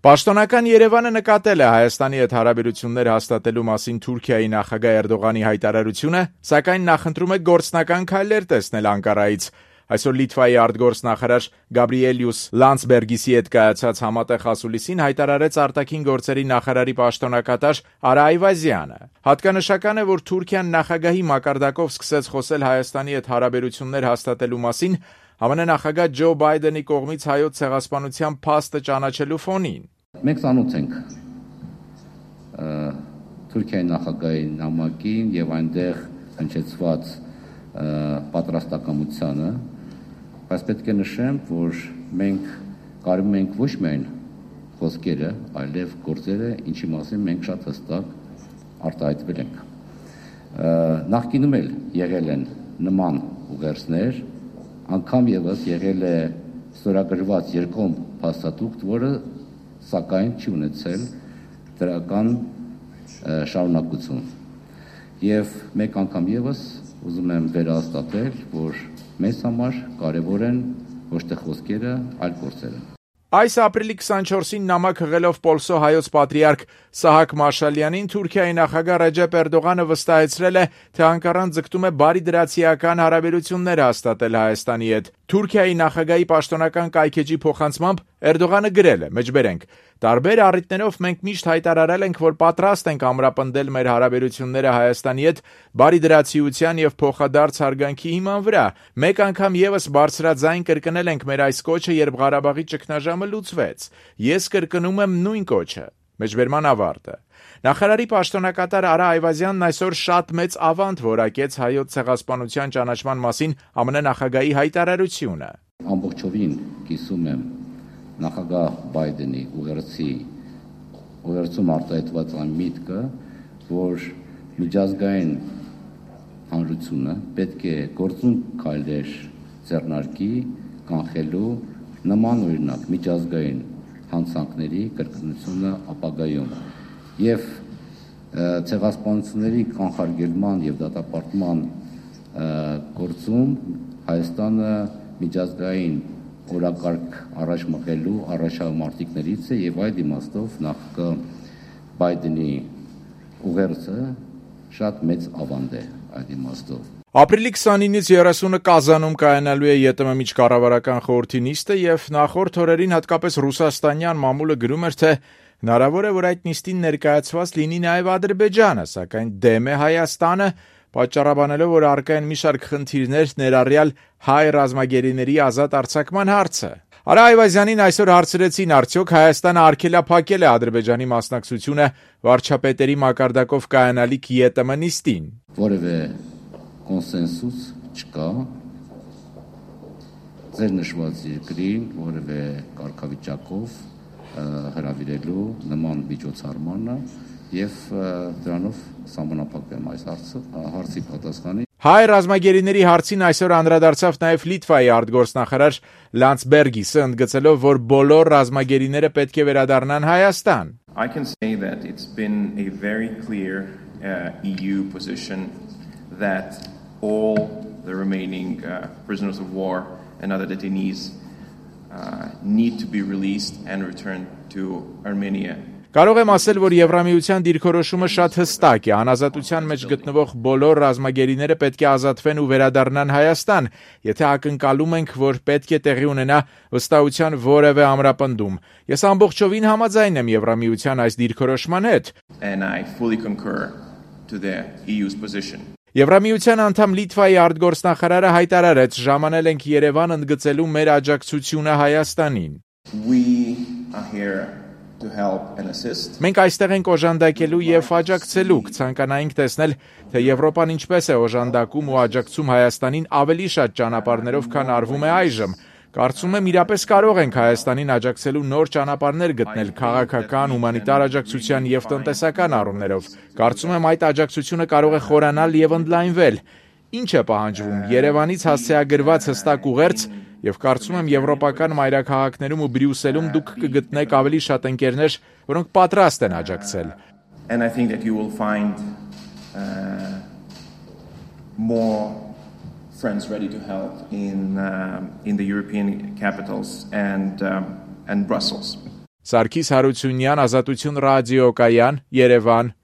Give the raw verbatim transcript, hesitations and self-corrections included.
Պաշտոնական Երևանը նկատել է Հայաստանի հետ հարաբերություններ հաստատելու մասին Թուրքիայի նախագահ Էրդողանի հայտարարությունը, սակայն նախընտրում է գործնական քայլեր տեսնել Անկարայից։ Այսօր Լիտվայի արտգործնախարար Գաբրիելյուս Լանdsբերգիսի հետ կայացած համատեղ ասուլիսին հայտարարեց արտաքին գործերի նախարարի պաշտոնակատար Արա Այվազյանը։ Հատկանշական է, որ Թուրքիան նախագահի մակարդակով սկսեց խոսել Հայաստանի հետ հարաբերություններ հաստատելու մասին ԱՄՆ նախագահ Ջո Բայդենի կողմից հայոց ցեղասպանության փաստը ճանաչելու ֆոնին։ Մենք ծանոթ ենք Թուրքիայի նախագահի նամակին եւ այնտեղ հնչեցված պատրաստակամությանը, բայց պետք է նշեմ, որ մենք կարում ենք ոչ միայն խոսքերը, այլև գործերը, ինչի մասին մենք շատ հստակ արտահայտվել ենք։ Նախկինում էլ եղել են նման ուղերձներ, անգամ եւս եղել է ստորագրված երկկողմ փաստաթուղթ, որը սակայն չի ունեցել դրական շարունակություն։ Եվ մեկ անգամ եւս ուզում եմ վերահաստատել, որ մեզ համար կարևոր են ոչ թե խոսքերը, այլ գործերը։ Այս ապրիլի քսանչորսին նամակ հղելով Պոլսո հայոց պատրիարք Սահակ Մաշալյանին Թուրքիայի նախագահ Ռեջեփ Էրդողանը վստահեցրել է, թե Անկարան ձգտում է բարիդրացիական հարաբերություններ հաստատել Հայաստանի հետ։ Թուրքիայի նախագահի պաշտոնական կայքեջի փոխանցմամբ Էրդողանը գրել է. «Մեջբերենք, տարբեր առիթներով մենք միշտ հայտարարել ենք, որ պատրաստ ենք ամրապնդել մեր հարաբերությունները Հայաստանի հետ բարիդրացիության եւ փոխադարձ հարգանքի հիման վրա։ Մեկ անգամ եւս բարձրաձայն կրկնել ենք մեր այս կոչը, երբ Ղարաբաղի ճգնաժամը լուծվեց։ Ես կրկնում եմ նույն կոչը»։ Մեջբերման ավարտը։ Նախարարի պաշտոնակատար Արա Այվազյանն այսօր շատ մեծ ավանդ որակեց հայոց ցեղասպանության ճանաչման մասին ԱՄՆ նախագահի հայտարարությունը։ Ամբողջովին կիսում եմ նախագահ Բայդենի ուղերձի ուղերձում արտահայտված այն միտքը, որ միջազգային հանրությունը պետք է գործուն քայլեր ձեռնարկի կանխելու նման օրինակ միջազգային հանցանքների կրկնությունը ապագայում եւ ցեղասպանությունների կանխարգելման եւ դատապարտման գործում Հայաստանը միջազգային օրակարգ առաջ մղելու առաջամարտիկներից է եւ այդ իմաստով նախագահ Բայդենի ուղերձը շատ մեծ ավանդ է այդ իմաստով։ Ապրիլի քսանինից երեսունը Կազանում կայանալու է ԵՏՄ միջկառավարական խորհրդի նիստը եւ նախորդ օրերին հատկապես ռուսաստանյան մամուլը գրում էր, թե հնարավոր է, որ այդ նիստին ներկայացված լինի նաեւ Ադրբեջանը, սակայն դեմ է Հայաստանը, պատճառաբանելով, որ առկա են մի շարք խնդիրներ, ներառյալ հայ ռազմագերիների ազատ արձակման հարցը։ Արա Այվազյանին այսօր հարցրեցին, արդյոք Հայաստանը արգելափակել է Ադրբեջանի մասնակցությունը վարչապետերի մակարդակով կայանալիք ԵՏՄ նիստին։ Որևէ կոնսենսուս չկա ձեր նշված երկրին որևէ կարգավիճակով հրավիրելու նման միջոցառմանը եւ դրանով սահմանափակեմ այս հարցը հարցի պատասխանի։ Հայ ռազմագերիների հարցին այսօր անդրադարձավ նաև Լիտվայի արտգործնախարար Լանdsբերգիսը, ընդգծելով, որ բոլոր ռազմագերիները պետք է վերադառնան Հայաստան։ I can say that it's been a very clear uh, E U position that all the remaining uh, prisoners of war and other detainees uh, need to be released and returned to Armenia. Կարող եմ ասել, որ Եվրամիության դիրքորոշումը շատ հստակ է, անազատության մեջ գտնվող բոլոր ռազմագերիները պետք է ազատվեն ու վերադառնան Հայաստան, եթե ակնկալում ենք, որ պետք է տեղի ունենա վստահության որևէ ամրապնդում։ Ես ամբողջովին համաձայն եմ Եվրամիության այս դիրքորոշման հետ։ And I fully concur to the E U's position. Եվրամիության անդամ Լիտվայի արտգործնախարարը հայտարարեց, ժամանել ենք Երևան ընդգծելու մեր աջակցությունը Հայաստանին։ We are here to help and assist. Մենք այստեղ ենք օժանդակելու եւ աջակցելու, կցանկանայինք տեսնել, թե Եվրոպան ինչպես է օժանդակում ու աջակցում Հայաստանին ավելի շատ ճանապարհներով, քան արվում է այժմ։ Կարծում եմ իրապես կարող ենք Հայաստանին աջակցելու նոր ճանապարհներ գտնել քաղաքական, հումանիտար աջակցության եւ տնտեսական առումներով։ Կարծում եմ այդ աջակցությունը կարող է խորանալ եւ ընդլայնվել։ Ինչ է պահանջվում Երևանից հասցեագրված հստակ ուղերձ եւ կարծում եմ եվրոպական մայրաքաղաքներում ու Բրյուսելում դուք կգտնեք ավելի շատ ընկերներ, որոնք պատրաստ են աջակցել։ And I think that you will find uh, more friends ready to help in uh, in the European capitals and um, and Brussels. Սարգիս Հարությունյան, Ազատություն ռադիոկայան, Երևան։